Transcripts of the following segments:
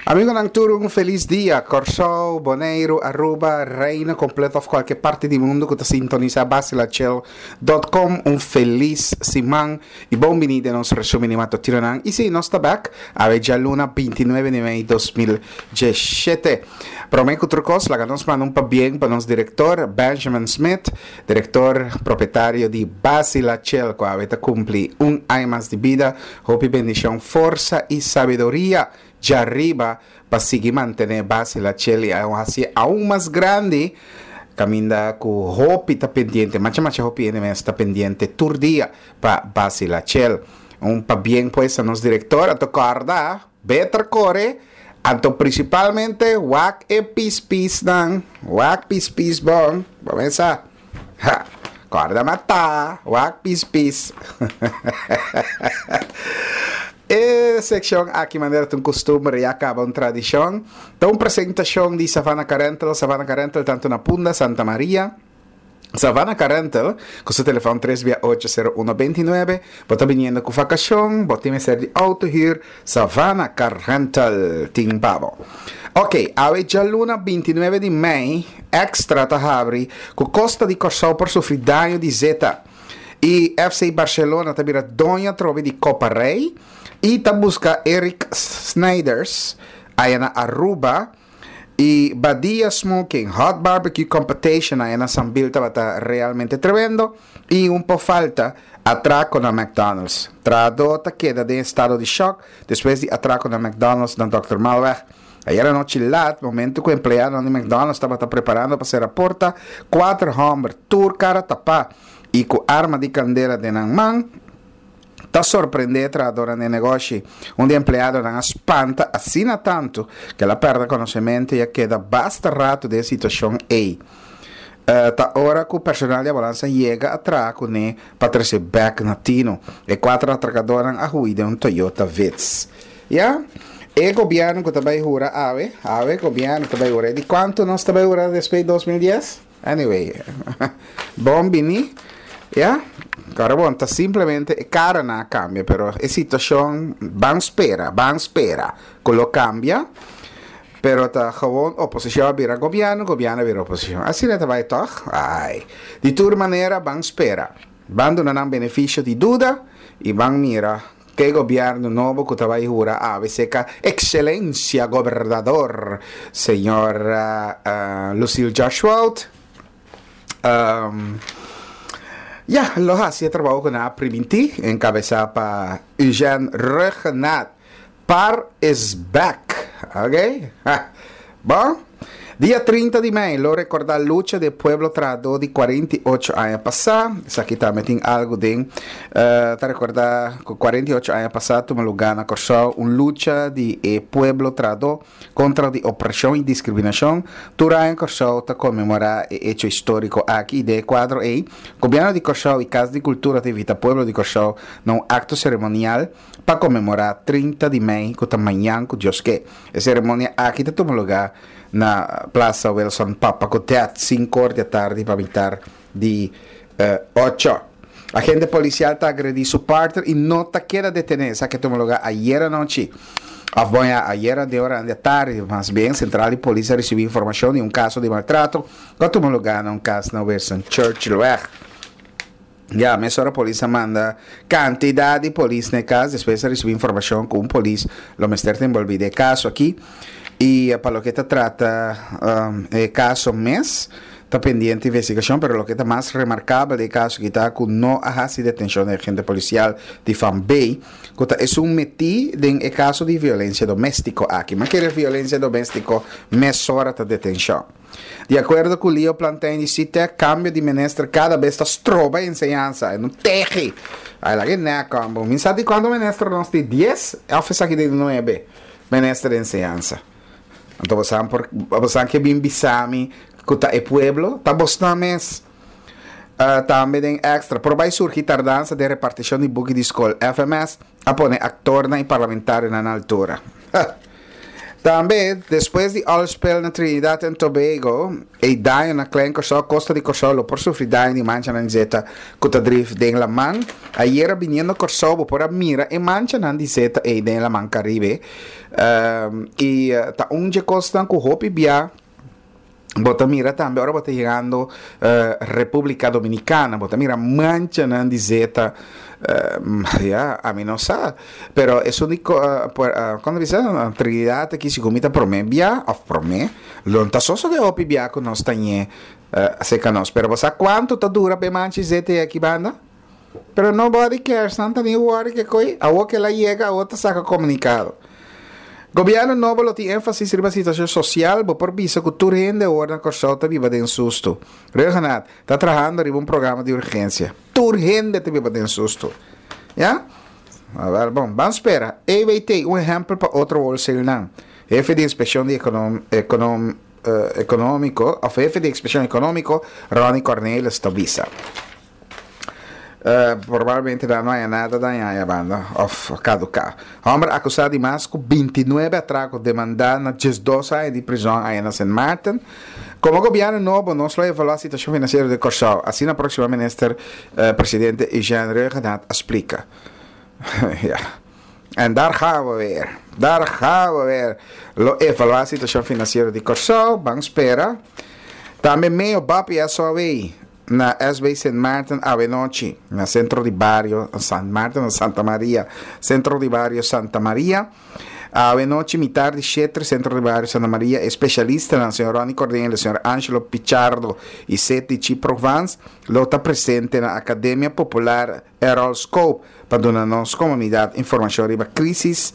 Amigonan tur un felis dia. Kòrsou, Boneiru, Aruba, Reino kompleto òf kualke parti di mundu ku ta sintonisá Basilachel dot com un felis siman i bon bini den nos resumen di matutinonan. I si, nos ta bèk awe djaluna 29 di mei 2017. Promé ku tur kos laga nos manda un pabien pa nos direktor Benjamin Smith, direktor propietario di Basilachel ku awe ta kumpli un aña mas di bida. Hopi bendishon, forsa i sabiduria djariba pa sigui mantené base la chel i hasié aun mas grandi kaminda ku hopi ta pendiente, macha macha hopi hende mes ta pendiente tur dia pa base la chel. Un pabien pues a nos direktor, anto kòrda beter kore, anto prinsipalmente wak e pispisnan, wak pispis bon, bo mesa. Ha! Kòrda matá, wak pis pis. E sekshon aki manera ta un kustumber ya kaba un tradishon. Ta un presentashon di Savannah Car Rental, Savannah Car Rental tantu na Punda, Santa Maria. Savannah Car Rental ku su telefòn tres bia ocho sero uno beintinuebe. Bo ta biniendo ku vakashon, bo tin mester di outo hür, Savannah Car Rental tin pa bo. Ok, awe djaluna 29 di mei, Extra ta habri ku Costa di Kòrsou por sufri daño di zeta i FC Barcelona ta bira doño atrobe di Copa Rey i ta buska Eric Snijders aya na Aruba i Badia Smoking Hot Barbecue Competition aya na Sambil tabata realmente tremendo. I un por falta, atrako na McDonald's. Trahadó ta keda den estado di shòk despues di atrako na McDonald's na Dòkter Malweg. Ayer anochi lat, momentu ku empleadonan di McDonald's tabata preparando pa sera porta, kuater hòmber, tur kara tapá i ku arma di kandela den nan man, ta sorprendé e trahadónan den negoshi. Un di e empleadonan a spanta asina tantu ku el a pèrdè konosementu i a keda basta ratu den e situashon ei. Ta ora ku personal di ambulansa yega a traha kuné pa trese bèk na tino. E kuater atrakadónan a hui den un Toyota Vitz. Ya, e gobièrnu ku ta bai hura awe, awe gobièrnu ta bai hura. E di kuantu nos ta bai hura despues di 2010? Anyway, bon bini. Ya, kòrda bon, ta simplemente e karanan a kambia, pero e situashon ban spera, ban spera ku lo kambia. Pero ta gewoon oposicion a bira gobierno, gobierno a bira oposicion. Asina ta bay toch? Ay. Di tur manera ban spera. Ban duna nan beneficio di duda y ban mira ke gobierno nobo cu ta bay hura awe seca Excelencia Gobernador Señor Lucille Joshwald. Ya, lo haci e trabao cu nan a priminti, encabeza pa Eugène Rhuggenaath. Par is back! Ok? Ha! Bon, dia 30 di mei lo rekordá lucha di e pueblo trahadó di 48 aña pasá. Esaki tambe tin algu den. Eh, ta rekordá ku 48 aña pasá tuma lugá na Kòrsou un lucha di e pueblo trahadó kontra di opreshon i diskriminashon. Tur aña Kòrsou ta konmemorá e echo históriko aki i den e kuadro ei, Gobièrnu di Kòrsou i Kas di Kultura ta invitá pueblo di Kòrsou na un akto seremonial pa konmemorá 30 di mei ku ta mañan ku Dios ke. E seremonia aki ta tuma lugá na Plaza Wilson Papa Codet, sinkor di atardi pa mitar di ocho. Agente polisial ta agredí su partner i no ta keda detené. Esaki a tuma lugá ayer anochi. Òf bon ya, ayer den oranan di atardi, mas bien, sentral di polis a risibí informashon di un kaso di maltrato ku a tuma lugá na un kas na Winston Churchillweg. Ya, mesora polis a manda kantidat di polis na e kas despues a risibí informashon ku un polis lo mester ta enbolbí den e kaso aki. I pa loke ta trata e kaso mes ta pendiente investigashon, pero loke ta mas remarkabel den e kaso aki ta ku no a hasi detenshon di agente polisial di Van Bay ku ta esun metí den e kaso di violensia doméstiko aki. Ma kere violensia doméstiko mesora ta detenshon. Di akuerdo ku Leo Plantijn di Sitec, kambio di minister kada bes ta stroba enseñansa, e no tegi. Ai laga e nek homber. Mi sa di kuantu minister nos tin, dies òf esaki den nuebe minister di enseñansa. Anto bosan por bosan ke bin bisa mi ku ta e pueblo? Ta bosnan mes. Tambe den extra, por bai surgi tardansa den repartishon di buki di skol. FMS a pone aktornan i parlamentarionan na altura. Tambe, despues di oil spill na Trinidad and Tobago, e daño na Klein Kòrsou, kosta di Kòrsou lo por sufri daño di manchanan di zeta ku ta drif den laman. Ayera biniendo Kòrsou bo por a mira e manchanan di zeta ei den laman Karibe. I ta un dje kosnan ku hopi bia Bo ta mira tambe ora bo ta yegando Republica Dominicana, bo ta mira manchanan di zeta, ya, ami no sa, pero esun di kon ta bisa Trinidad aki si ku mi ta prome bia of prome, lo no ta sosode hopi bia ku nos ta ñe aserka nos, pero bo sa kuantu ta dura pa e mancha di zeta ei aki banda? Pero nobody cares, nan ta ni worry ke koe, awor ke el a yega awor ta saka komunikado. Gobièrnu nobo lo tin énfasis riba situashon sosial, bo por bisa ku tur hende awor na Kòrsou ta biba den sustu. Rhuggenaath ta trahando riba un programa di urgensia. Tur hende ta biba den sustu. Ya? Awèl bon, ban spera. EWT, un ehèmpel pa otro wholesalenan. Hefe di inspekshon di ekonom ekonómiko òf hefe di inspekshon ekonómiko Ronnie Cornelis ta bisa. Probablemente nan no haya nada daña aya banda of caduca. Homber acusa di mas cu bintinuebe atraco demanda na diesdos aña di prison aya na Sint Maarten. Como gobierno nobo nos lo evalua situacion financiero di Corsou, asina proximo minister presidente Eugène Rhuggenaath a splica. Ya. En daar gaan we weer. Daar gaan we weer. Lo evalua situacion financiero di Corsou, ban spera. Tambe Meo Bapi SOW. Na SB Sint Maarten awenochi, na Sentro di Bario San Maarten na Santa Maria, Sentro di Bario Santa Maria. Awenochi mitar di sheter Sentro di Bario Santa Maria e spesialistanan señor Ronnie Cornelis, señor Angelo Pichardo y Seti Chi Provence lo ta presente na Academia Popular Errol Scope pa duna nos comunidad informacion riba crisis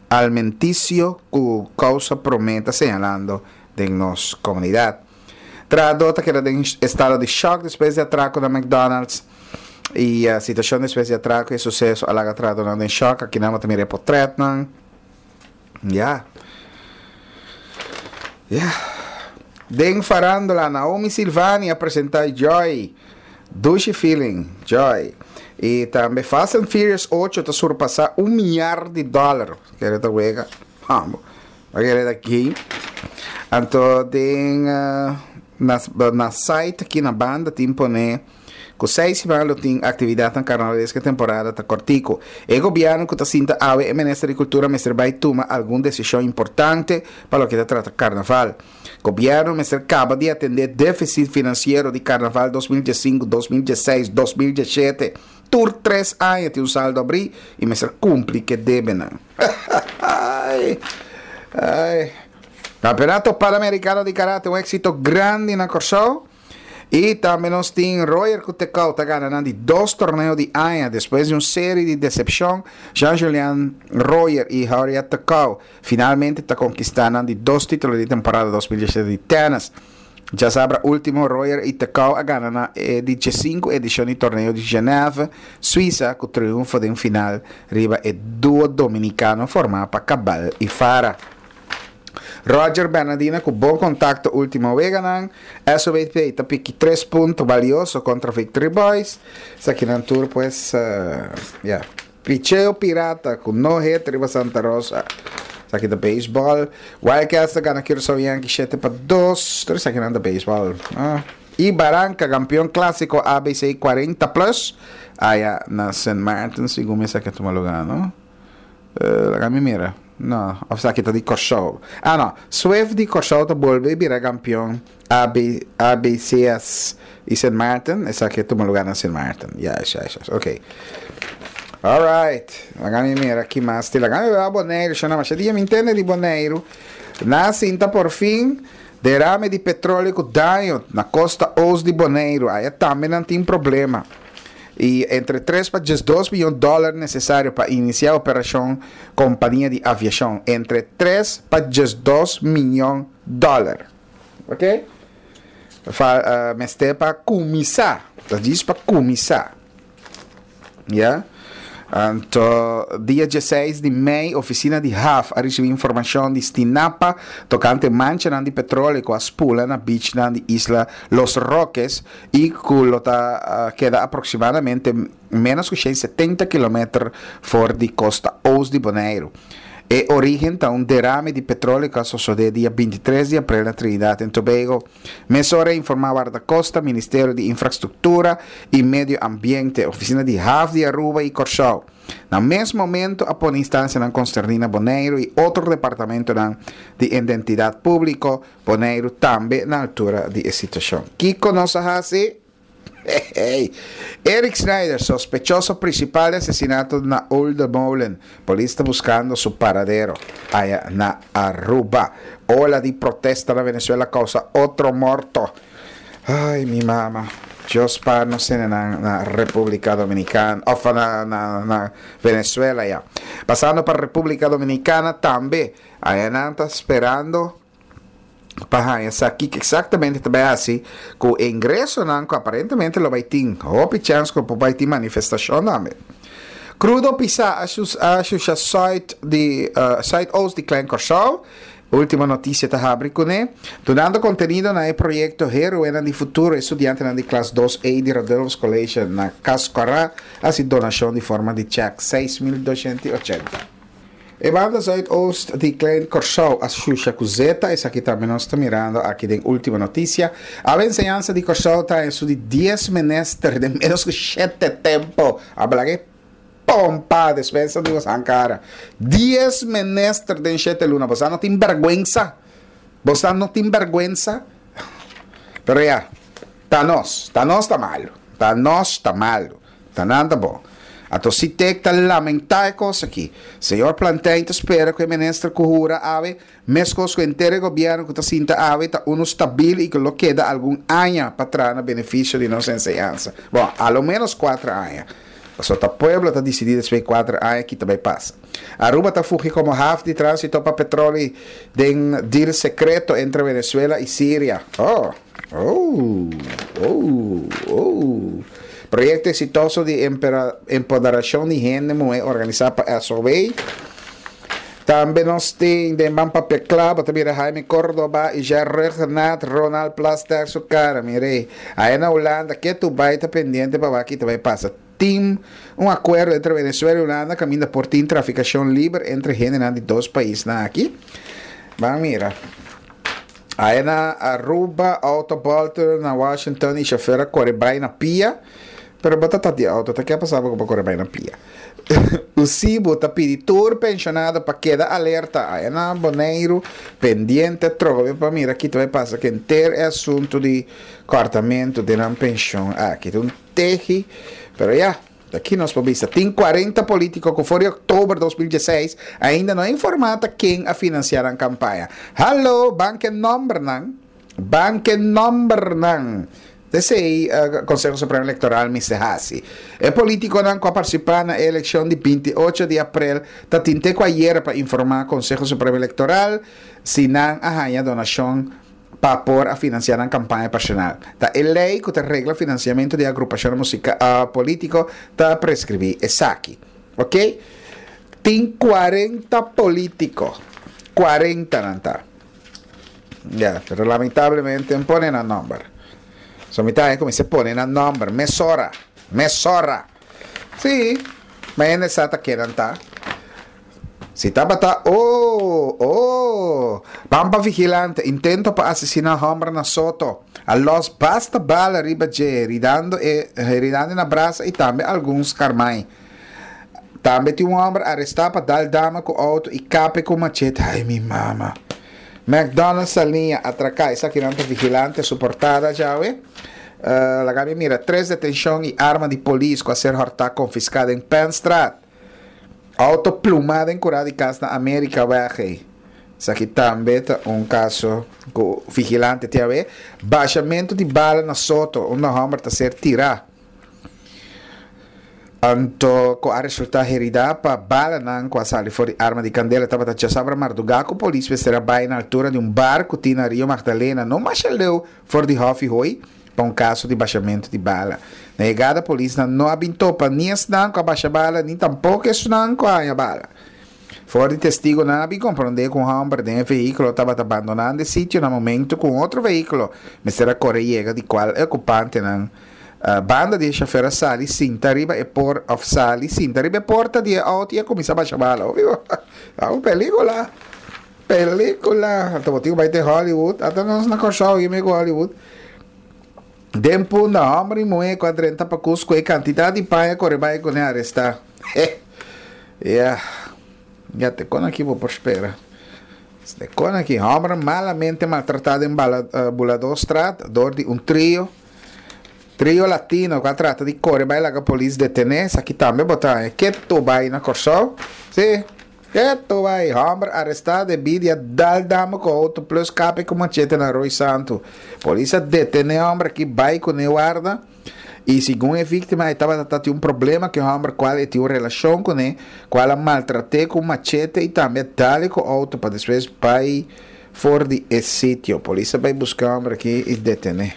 almenticio cu causa prome ta señalando den nos comunidad. Trahadó ta keda den estado di shòk despues di atrako na McDonald's. E situashon despues di atrako i e suseso a laga trahadónan den shòk. Akinan bo ta mira e potrètnan. Ya. Ya. Den farándula, Naomi Silvani a presentá Joy. Dushi feeling, Joy. I tambe Fast and Furious ocho ta surpasá un miar di dòler. Kere ta wega. Hambo. Oke ta aki. Anto den na na site aki na banda tin pone ku seis siman lo tin aktividatnan karnavalesko e temporada ta kòrtiku. E gobièrnu ku ta sinta awe e minister di kultura mester bai tuma algun desishon importante pa loke ta trata karnaval. Gobièrnu mester kaba di atendé défisit finansiero di karnaval 2015, 2016, 2017. Tur tres aña tin un saldo abrí i mester kumpli ku e debenan. Ai, ai. Campeonato Panamericano di Karate, un éksito grandi na Kòrsou. I tambe nos tin Royer ku Tekau ta gana nan di dos torneo di aña despues di un seri di desepshon. Jean-Julian Royer i Hauria Tekau finalmente ta konkistá nan di dos título di temporada 2017 di tènis. Djasabra ultimo Royer i Tekau a gana na e di diesinku edishon di torneo di Genève, Suisa, ku triunfo den final riba e duo dominikano formá pa Cabal i Fara. Roger Bernadina ku bon kontakto ultimo weganan. SOBP ta piki tres punto balioso kontra Victory Boys. Esakinan tur pues, ya. Picheo Pirata ku no hit riba Santa Rosa. Esaki ta beisbòl. Wildcats ta gana Curaçao Yankees shete pa dos. Tur esakinan ta beisbòl. Ah. I Baranka kampeon klasiko ABC 40 plus aya na Sint Maarten segun mi esaki a tuma lugá no. Eh, laga mi mira. No, of esaki ta di Kòrsou. Ah no, Swift di Kòrsou ta bolbe bira kampeon AB, ABCS i Sint Maarten. Esaki a tuma lugá na Sint Maarten. Juist, juist, juist. Oké. Alright. Laga mi mira ki mas tin. Laga mi beba Boneiru. Shona, masha dia mi ntende di Boneiru. Na sinta por fin derame di petróleo ku daño na kosta oost di Boneiru. Aya tambe nan tin problema. I entre tres pa diesdos miyon dòler nesesario pa inisiá operashon kompania di aviashon. Entre tres pa diesdos miyon dòler. Ok? Fa, mester pa kuminsá. Ta djis pa kuminsá. Ya. Anto dia dieseis di mei ofisina di haf a risibí informashon di Stinapa tokante manchanan di petróleo ku a spula na bichnan di isla Los Roques i ku lo ta keda aproksimadamente ménos ku shen setenta kilometer for di kosta ost di Boneiru. E origen ta un derame di petroleo ku a sosodé dia 23 di aprel na Trinidad en Tobago. Mesora a informá Wardakosta, Ministerio di Infrastruktura i Medio Ambiente, Ofisina di Haf di Aruba i Kòrsou. Na mes momento a pone instansianan konserní na Boneiru i otro departamentonan di Identidat Públiko Boneiru tambe na altura di e situashon. Kiko nos a hasi? Hey! Eric Schneider, sospechoso principal di asesinato na Olde Molen. Polis ta buscando su paradero aya na Aruba. Ola di protesta na Venezuela causa otro morto. Ay, mi mama. Dios spaar nos hendenan na Republica Dominicana, of na, na, na Venezuela ya. Pasando pa Republica Dominicana tambe, aya nan ta sperando pa haña sa kiko eksaktamente ta bai hasi ku e ingresonan ku aparentemente lo bai tin. Hopi chèns ku por bai tin manifestashon tambe. Krudo pisá a shusha sùit di sùit-oost di Klein Kòrsou. Ultimo Notisia ta habri kuné. Dunando kontenido na e proyekto Héroenan di Futuro e studiantenan di klas dos A di Radulphus College na Kaskòrá a hasi donashon di forma di chèk 6280. E banda zuidoost di Klein Kòrsou a shusha ku zeta, esaki tambe nos ta mirando aki den Ultimo Noticia. Awe enseñansa di Kòrsou ta en su di dies minister den menos ku shete tempo. A bla ke pompa despensa di bosan kara. Dies minister den shete luna. Bosan no tin bèrgwensa? Bosan no tin bèrgwensa? Pero ya, ta nos. Ta nos ta malu. Ta nos ta malu. Ta nan ta bon. Anto Sitek ta lamentá e kos aki. Señor Plantijn ta spera ku e minister ku hura awe, meskos ku henter e gobièrnu ku ta sinta awe, ta unu stabil i ku lo keda algun aña pa traha na benefisio di nos enseñansa. Bon, a lo ménos kuater aña. Pasobra ta pueblo ta disidí despues di kuater aña ki ta bai pasa. Aruba ta fugi komo haf di tránsito pa petroli den deal sekreto entre Venezuela i Siria. Oh! Oh, oh, oh. Proyekto eksitoso di empoderashon di hende muhé organisá pa SOW. Tambe nos tin den Ban Papia Kla, bo ta mira Jaime Cordoba i Jer Ruggenaath, Ronald Plasterk su kara, mira ei. Aya na Hulanda, ketu bai ta pendiente pa wak ki ta bai pasa. Tin un akuerdo entre Venezuela i Hulanda kaminda por tin trafikashon liber entre hendenan di dos paisnan aki. Ban mira. Aya na Aruba, auto bolter na Washington y chofer a core bay na pia. Pero bo ta ta di auto, ta ke a pasa bo cu bo core bay na pia? Usibo ta pidi tur pensionado pa keda alerta. Aya na Boneiru, pendiente atrobe pa mira ki ta bay pasa cu henter e asunto di cortamento den nan pension aki. Ta un tehi, pero ya. Aki nos por bisa, tin 40 politico cu for di october 2016 ainda no a informa ta ken a financia nan campaña. Hallo, ban ke nombernan, ban ke nombernan. Esey Conseho Supremo Electoral mester haci. E politiconan cu a participa na e eleccion di 28 di april ta tin te cu ayera pa informa Conseho Supremo Electoral si nan a haya donacion pa por a financia nan campaña personal. Ta e ley cu ta regla financiamento di agrupacionnan musica politico ta prescribi esaki. Ok? Tin cuarenta politico. Cuarenta nan ta. Ya, pero lamentablemente no pone nan nomber. So mi ta haña cu mester pone nan nomber mesora. Mesora! Sí, ma hende sa ta ken nan ta. Si tabata oh, oh, Pampa Vigilante, intento pa asesina homber na Soto. A los basta bala riba dje, heridando e, heridando na brasa y tambe algun scarmai. Tambe tin un homber aresta pa dal dama cu auto y kape cu machete. Ay, mi mama. McDonald's Saliña atraca, esakinan ta Vigilante su portada djawe. Uh, laga mi mira, tres detencion y arma di polis cu a ser horta confisca den Penstraat. Auto plumá den kurá di kas na Amerika wèg ei. Esaki tambe ta un kaso ku vigilante tin awe. Bashamentu di bala na Soto unda hòmber ta ser tirá. Anto ku a resultá heridá pa balanan ku a sali for di arma di kandela tabata djasabra mardugá ku polis mester a bai na altura di un bar ku tin na Rio Magdalena no masha leu for di Hòfi Hoi. pa un kaso di bashamentu di bala. Na yegada polisnan no a bin topa ni esnan ku a basha bala ni tampoko esunnan ku a haña bala. For di testigonan a bin komprondé ku un hòmber den e vehíkulo tabata bandonando e sitio na momentu ku un otro vehíkulo mester a kore yega di kual e okupantenan Banda di e shofer a sali sinta riba e por of sali sinta riba e porta di e auto y a cuminsa basha bala. Hopi bo. Ta un pelicula. Pelicula. Anto bo tin cu bay te Hollywood. Ata nos na Corsou y mi cu Hollywood. Den Punda, homber y muhe cu a drenta pa Cusco e cantidad di paña core bay cu ne aresta. Ya. Ya te con aki bo por spera. De con aki homber malamente maltrata den Buladorstraat door di un trio. Trio latino ku a trata di kore bai laga polis detené, esaki tambe bo ta haña ketu bai na Kòrsou. Sí, ketu bai. Hòmber arestá debí di a dal dama ku outo plus kape ku machete na Rooi Santu. Polis a detené hòmber aki bai kuné warda i segun e víktima e tabata ta tin un problema ku e hòmber kual e tin un relashon kuné kual a maltrat'é ku un machete i tambe a dal e ku outo pa despues bai for di e sitio. Polis a bai buska e hòmber aki i detené.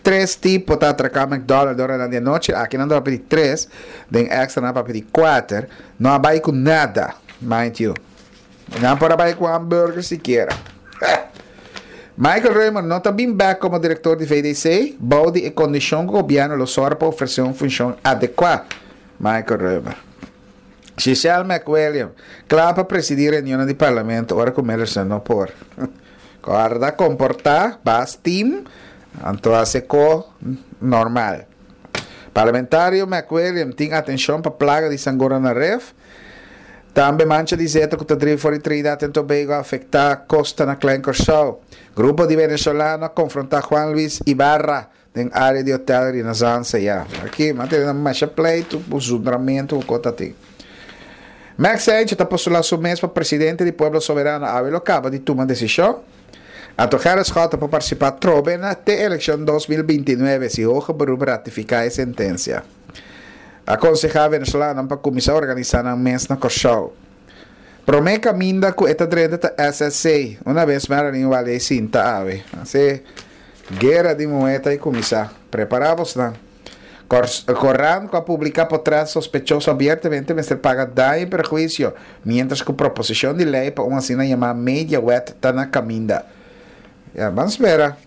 Tres tipo ta atraká McDonald's ora nan di anochi. Aki nan ta papia di tres, den extra nan a papia di kuater. No a bai ku nada, mind you. Nan por a bai ku hamburger sikiera. Michael Römer no ta bin bek komo direktor di VDC bou di e kondishon ku gobièrnu lo sòru pa ofresé un funshon adekuá, Michael Römer. Giselle McWilliam, kla pa presidí reunionnan di parlamento ora ku Millerson no por. Kòrda komportá, bas team, anto hasi ko normal. Parlamentario McWilliam tin atenshon pa plaga di sangura na ref. Tambe mancha di zeta ku ta drif for di Trinidad en Tobago a afektá kosta na Klein Kòrsou. Grupo di venezolano a konfrontá Juan Luis Ibarra Den área di hotel Renaissance ya. Aki m'a tene masha pleitu ku zundramentu ku kota tin. Max Sanchez ta postulá su mes pa presidente di Pueblo Soberano awe lo kaba di tuma desishon. Anto Gerrit Schotte por partisipá trobe na te elekshon 2029 si Hoge Beroep ratifiká e sentensia. A konsehá venezolanonan pa kuminsá organisá nan mes na Kòrsou. Promé kaminda ku e ta drenta ta SSC. Una bes Marilyn Wallé sinta awe. Así. Guera di muhé ta i kuminsá. Prepará bosnan. Korant ku a publiká potrèt sospechoso abiertamente mester paga daño i perhuisio, miéntras ku proposishon di lei pa un asina yamá mediawet ta na kaminda. Ya, ban spera.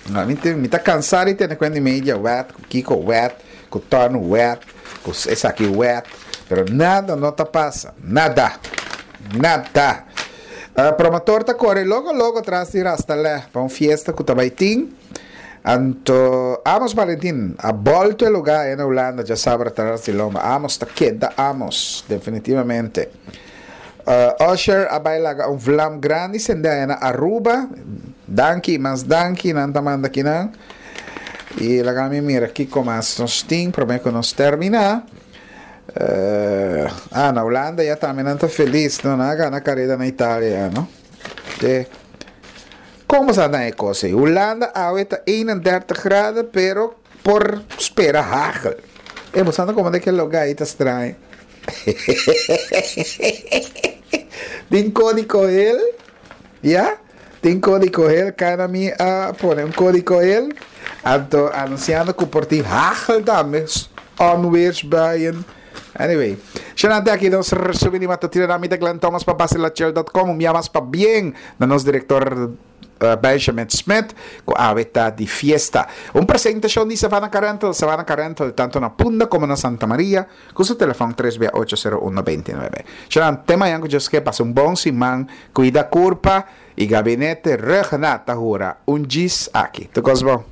Mi mi ta kansá di tene kuenta di mediawet, ku kiko wet, ku tòn wet, ku esaki wet, pero nada no ta pasa. Nada. Nada. Promotor ta kore logo logo tras di Rastalè pa un fiesta ku ta bai tin. Anto Amos Valentin a bolto e lugá aya na Hulanda djasabra tras di lomba. Amos ta keda Amos, definitivamente. Usher a bai laga un vlam grandi sende aya na Aruba. Danki, mas danki nan ta manda kinan. I laga mi mira kiko mas nos tin promé ku nos terminá. Ah, na Hulanda ya tambe nan ta felis, no? Nan a gana kareda na Italia ya, no? Te. Kon bo sa na e kos ei? Hulanda awe ta 31 graden, pero por spera hagel. E bo sa ta komo de ke lugá ei ta straño. Tin kódigo hel, ya? Tin kódigo hel, kana mi a pone un kódigo hel, anto anunsiando ku por tin hagel tambe, onweersbuien. Anyway, shana te aki nos resumen di matutina na mi ta Glenn Thomas pa basilachel.com, un bia mas pabien na nos direktor Benjamin Smith ku awe ta di fiesta. Un presentashon di Savannah Car Rental, Savannah Car Rental tanto na Punda komo na Santa Maria. Ku su telefòn tres bia ocho sero uno beinti nuebe. Shanan, te mañan ku Dios ke pasa un bon siman, kuida kurpa i Gabinete Rhuggenaath ta hura un djis aki. Tur kos bon.